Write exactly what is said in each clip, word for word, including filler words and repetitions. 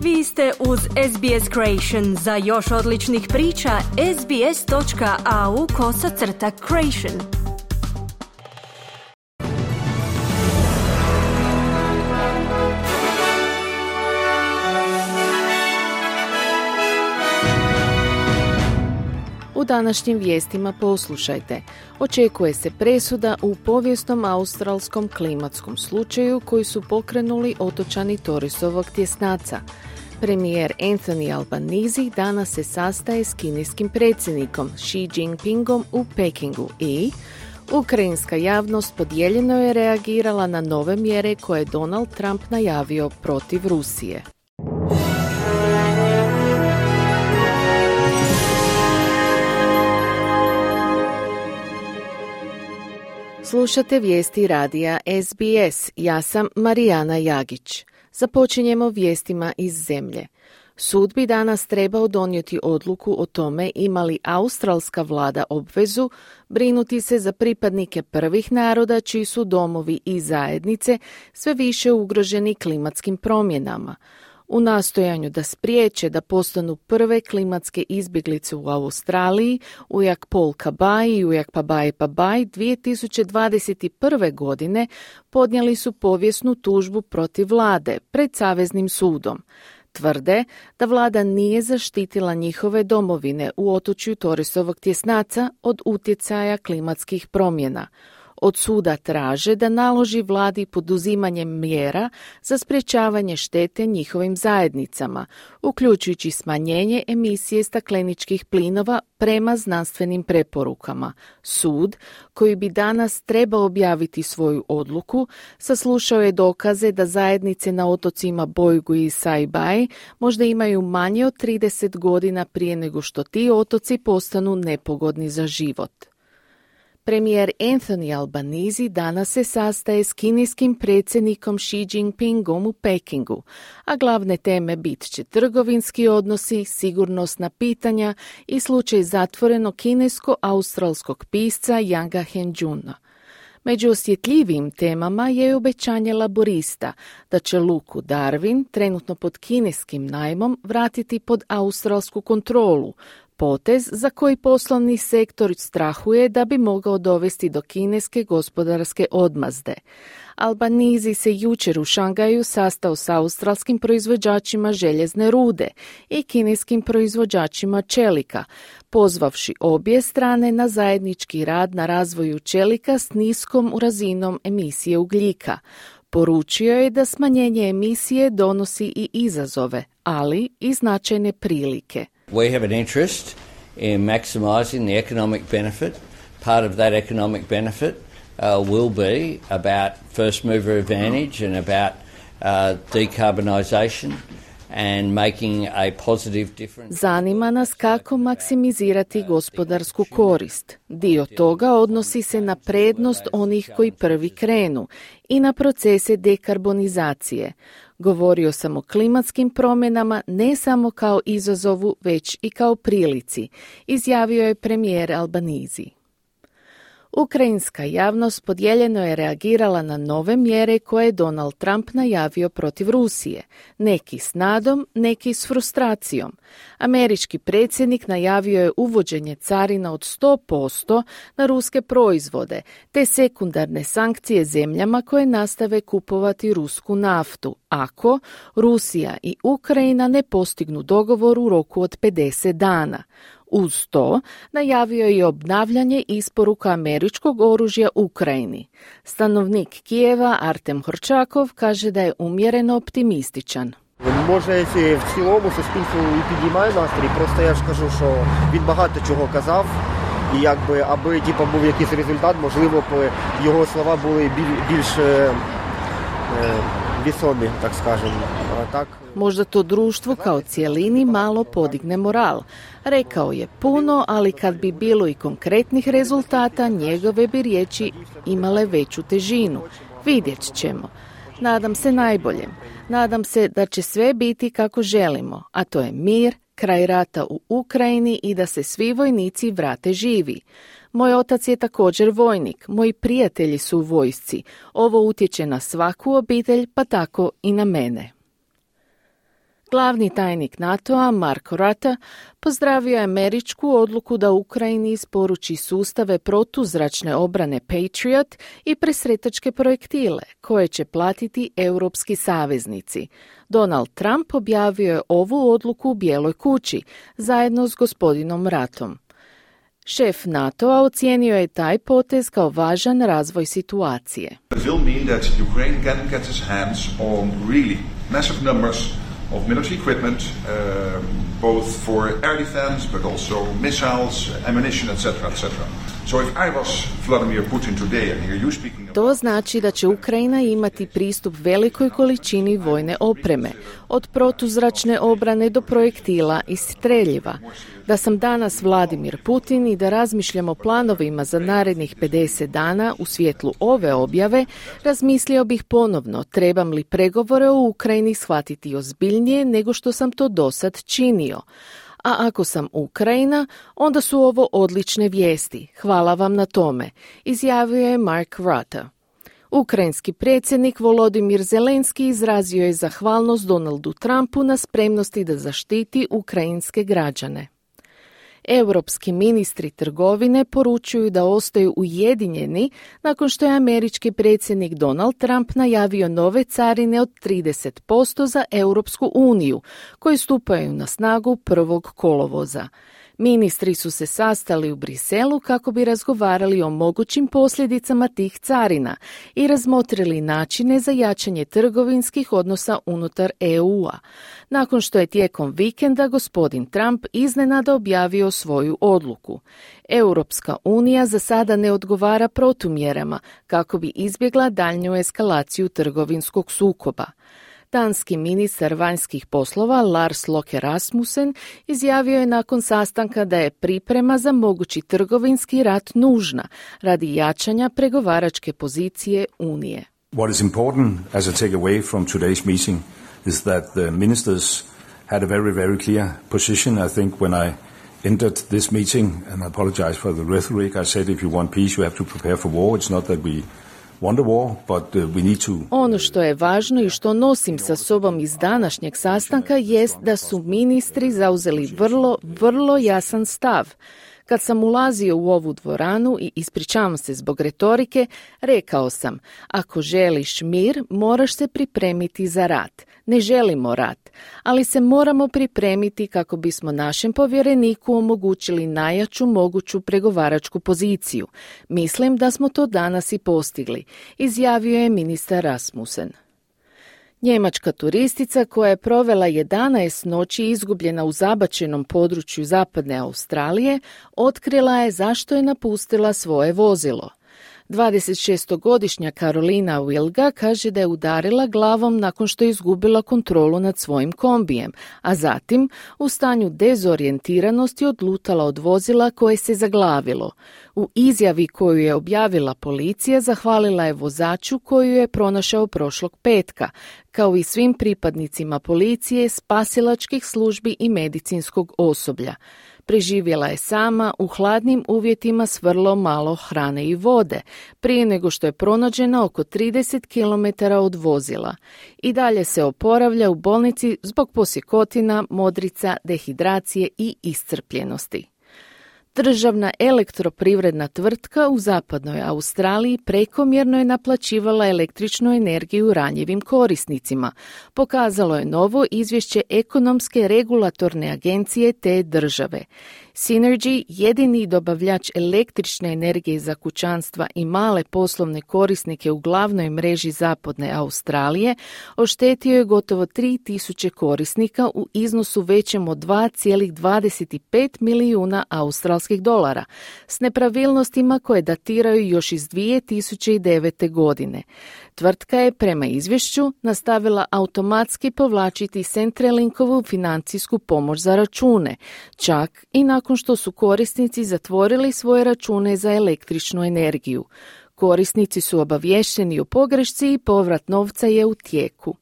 Vi ste uz S B S Creation. Za još odličnih priča, sbs.au kosacrta creation. U današnjim vijestima poslušajte. Očekuje se presuda u povijesnom australskom klimatskom slučaju koji su pokrenuli otočani Torresovog tjesnaca. Premijer Anthony Albanese danas se sastaje s kineskim predsjednikom Xi Jinpingom u Pekingu i ukrajinska javnost podijeljeno je reagirala na nove mjere koje je Donald Trump najavio protiv Rusije. Slušate vijesti radija S B S. Ja sam Marijana Jagić. Započinjemo vijestima iz zemlje. Sud bi danas trebao donijeti odluku o tome ima li australska vlada obvezu brinuti se za pripadnike prvih naroda čiji su domovi i zajednice sve više ugroženi klimatskim promjenama. U nastojanju da spriječe da postanu prve klimatske izbjeglice u Australiji, Ujak Paul Kabai i Ujak Pabai Pabai dvije tisuće dvadeset prve. godine podnijeli su povijesnu tužbu protiv vlade pred Saveznim sudom. Tvrde da vlada nije zaštitila njihove domovine u otočju Torresovog tjesnaca od utjecaja klimatskih promjena. Od suda traže da naloži vladi poduzimanje mjera za sprječavanje štete njihovim zajednicama, uključujući smanjenje emisije stakleničkih plinova prema znanstvenim preporukama. Sud, koji bi danas trebao objaviti svoju odluku, saslušao je dokaze da zajednice na otocima Bojgu i Saibai možda imaju manje od trideset godina prije nego što ti otoci postanu nepogodni za život. Premijer Anthony Albanese danas se sastaje s kineskim predsjednikom Xi Jinpingom u Pekingu, a glavne teme bit će trgovinski odnosi, sigurnosna pitanja i slučaj zatvorenog kinesko-australskog pisca Yanga Hengjuna. Među osjetljivijim temama je obećanje laborista da će luku Darwin, trenutno pod kineskim najmom, vratiti pod australsku kontrolu, potez za koji poslovni sektor strahuje da bi mogao dovesti do kineske gospodarske odmazde. Albanese se jučer u Šangaju sastao s australskim proizvođačima željezne rude i kineskim proizvođačima čelika, pozvavši obje strane na zajednički rad na razvoju čelika s niskom razinom emisije ugljika. Poručio je da smanjenje emisije donosi i izazove, ali i značajne prilike. We have an interest in maximising the economic benefit. Part of that economic benefit uh, will be about first mover advantage and about uh, decarbonisation and making a positive difference. Zanima nas kako maksimizirati gospodarsku korist. Dio toga odnosi se na prednost onih koji prvi krenu i na procese dekarbonizacije. Govorio sam o klimatskim promjenama ne samo kao izazovu, već i kao prilici, izjavio je premijer Albanese. Ukrajinska javnost podijeljeno je reagirala na nove mjere koje je Donald Trump najavio protiv Rusije, neki s nadom, neki s frustracijom. Američki predsjednik najavio je uvođenje carina od sto posto na ruske proizvode, te sekundarne sankcije zemljama koje nastave kupovati rusku naftu, ako Rusija i Ukrajina ne postignu dogovor u roku od pedeset dana. Uz to najavio je obnavljanje isporuka američkog oružja Ukrajini. Stanovnik Kijeva Artem Horčakov kaže da je umjereno optimističan. Може, якщо в цілому суспільство і підіймає настрій, просто я ж кажу, що він багато чого казав, і якби, аби типу, був якийсь результат, можливо, б його слова були більш е, вісомі, так скажемо. Так. Možda to društvu kao cijelini malo podigne moral. Rekao je puno, ali kad bi bilo i konkretnih rezultata, njegove bi riječi imale veću težinu. Vidjet ćemo. Nadam se najboljem. Nadam se da će sve biti kako želimo, a to je mir, kraj rata u Ukrajini i da se svi vojnici vrate živi. Moj otac je također vojnik, moji prijatelji su u vojsci. Ovo utječe na svaku obitelj, pa tako i na mene. Glavni tajnik NATO-a Mark Rutte pozdravio je američku odluku da Ukrajini isporuči sustave protuzračne obrane Patriot i presretačke projektile koje će platiti europski saveznici. Donald Trump objavio je ovu odluku u Bijeloj kući zajedno s gospodinom Ruttom. Šef NATO-a ocijenio je taj potez kao važan razvoj situacije. It will mean that Ukraine can get its hands on really massive numbers of military equipment, uh, both for air defense, but also missiles, ammunition, et cetera, et cetera. So if I was Vladimir Putin today and hear you speaking about... To znači da će Ukrajina imati pristup velikoj količini vojne opreme, od protuzračne obrane do projektila i streljiva. Da sam danas Vladimir Putin i da razmišljam o planovima za narednih pedeset dana u svjetlu ove objave, razmislio bih ponovno trebam li pregovore o Ukrajini shvatiti ozbiljnije nego što sam to dosad činio. A ako sam Ukrajina, onda su ovo odlične vijesti. Hvala vam na tome, izjavio je Mark Rutte. Ukrajinski predsjednik Volodimir Zelenski izrazio je zahvalnost Donaldu Trumpu na spremnosti da zaštiti ukrajinske građane. Europski ministri trgovine poručuju da ostaju ujedinjeni nakon što je američki predsjednik Donald Trump najavio nove carine od trideset posto za Europsku uniju, koje stupaju na snagu prvog kolovoza. Ministri su se sastali u Briselu kako bi razgovarali o mogućim posljedicama tih carina i razmotrili načine za jačanje trgovinskih odnosa unutar E U-a, nakon što je tijekom vikenda gospodin Trump iznenada objavio svoju odluku. Europska unija za sada ne odgovara protumjerama kako bi izbjegla daljnju eskalaciju trgovinskog sukoba. Danski ministar vanjskih poslova Lars Løkke Rasmussen izjavio je nakon sastanka da je priprema za mogući trgovinski rat nužna radi jačanja pregovaračke pozicije Unije. What is important as a takeaway from today's meeting is that the ministers had a very, very clear position. I think when I entered this meeting, and I apologize for the rhetoric, I said if you want peace you have to prepare for war. It's not that we Ono što je važno i što nosim sa sobom iz današnjeg sastanka jest da su ministri zauzeli vrlo, vrlo jasan stav. Kad sam ulazio u ovu dvoranu i ispričavam se zbog retorike, rekao sam, ako želiš mir, moraš se pripremiti za rat. Ne želimo rat, ali se moramo pripremiti kako bismo našem povjereniku omogućili najjaču moguću pregovaračku poziciju. Mislim da smo to danas i postigli, izjavio je ministar Rasmussen. Njemačka turistica koja je provela jedanaest noći izgubljena u zabačenom području zapadne Australije, otkrila je zašto je napustila svoje vozilo. dvadesetšestogodišnja Karolina Wilga kaže da je udarila glavom nakon što je izgubila kontrolu nad svojim kombijem, a zatim u stanju dezorijentiranosti odlutala od vozila koje se zaglavilo. U izjavi koju je objavila policija zahvalila je vozaču koju je pronašao prošlog petka, kao i svim pripadnicima policije, spasilačkih službi i medicinskog osoblja. Preživjela je sama u hladnim uvjetima s vrlo malo hrane i vode, prije nego što je pronađena oko trideset kilometara od vozila. I dalje se oporavlja u bolnici zbog posjekotina, modrica, dehidracije i iscrpljenosti. Državna elektroprivredna tvrtka u zapadnoj Australiji prekomjerno je naplaćivala električnu energiju ranjivim korisnicima, pokazalo je novo izvješće ekonomske regulatorne agencije te države. Synergy, jedini dobavljač električne energije za kućanstva i male poslovne korisnike u glavnoj mreži zapadne Australije, oštetio je gotovo tri tisuće korisnika u iznosu većem od dva zarez dvadeset pet milijuna australskih dolara, s nepravilnostima koje datiraju još iz dvije tisuće devete. godine. Tvrtka je prema izvješću nastavila automatski povlačiti Centrelinkovu financijsku pomoć za račune, čak i nakon što su korisnici zatvorili svoje račune za električnu energiju. Korisnici su obavješteni o pogrešci i povrat novca je u tijeku.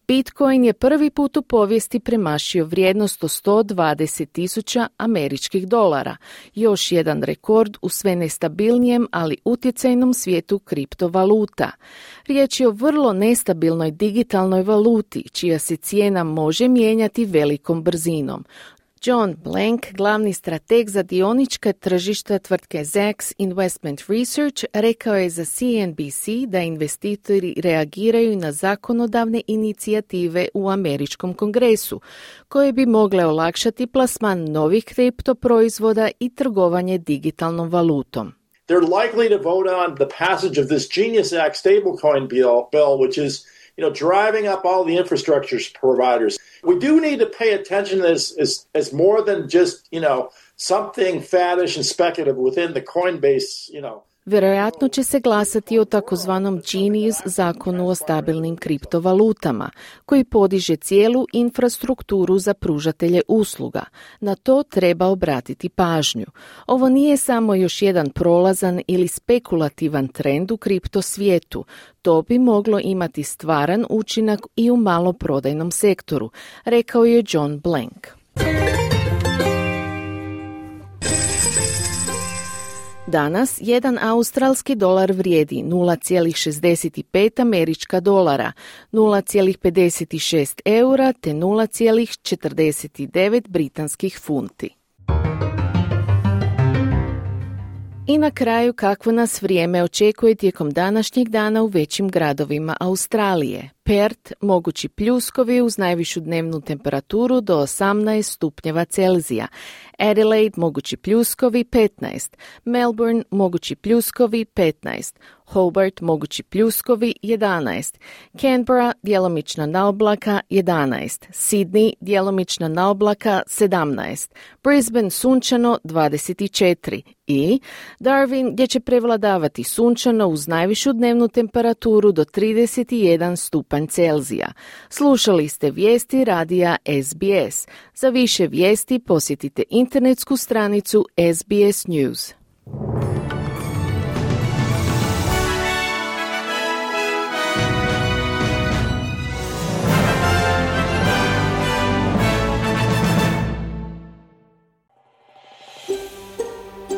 Bitcoin je prvi put u povijesti premašio vrijednost od sto dvadeset tisuća američkih dolara, još jedan rekord u sve nestabilnijem, ali utjecajnom svijetu kriptovaluta. Riječ je o vrlo nestabilnoj digitalnoj valuti, čija se cijena može mijenjati velikom brzinom. John Blank, glavni strateg za dionička tržišta tvrtke Zacks Investment Research, rekao je za C N B C da investitori reagiraju na zakonodavne inicijative u američkom kongresu, koje bi mogle olakšati plasman novih kripto proizvoda i trgovanje digitalnom valutom. They're likely to vote on the passage of this Genius Act stablecoin bill, bill, which is, you know, driving up all the infrastructure providers. We do need to pay attention as, as, as more than just, you know, something faddish and speculative within the Coinbase, you know. Vjerojatno će se glasati o takozvanom Genius zakonu o stabilnim kriptovalutama, koji podiže cijelu infrastrukturu za pružatelje usluga. Na to treba obratiti pažnju. Ovo nije samo još jedan prolazan ili spekulativan trend u kripto svijetu. To bi moglo imati stvaran učinak i u maloprodajnom sektoru, rekao je John Blank. Danas jedan australski dolar vrijedi nula zarez šezdeset pet američka dolara, nula zarez pedeset šest eura te nula zarez četrdeset devet britanskih funti. I na kraju, kakvo nas vrijeme očekuje tijekom današnjeg dana u većim gradovima Australije. Perth, mogući pljuskovi uz najvišu dnevnu temperaturu do osamnaest stupnjeva Celzija. Adelaide, mogući pljuskovi petnaest. Melbourne, mogući pljuskovi petnaest. Hobart, mogući pljuskovi jedanaest. Canberra, djelomična naoblaka jedanaest. Sydney, djelomična naoblaka sedamnaest. Brisbane, sunčano dvadeset četiri. I Darwin, gdje će prevladavati sunčano uz najvišu dnevnu temperaturu do trideset jedan stupanj Celzija. Slušali ste vijesti radija S B S. Za više vijesti posjetite internetsku stranicu S B S News.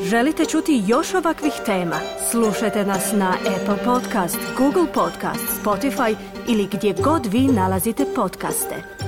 Želite čuti još ovakvih tema? Slušajte nas na Apple Podcast, Google Podcast, Spotify ili gdje god vi nalazite podcaste.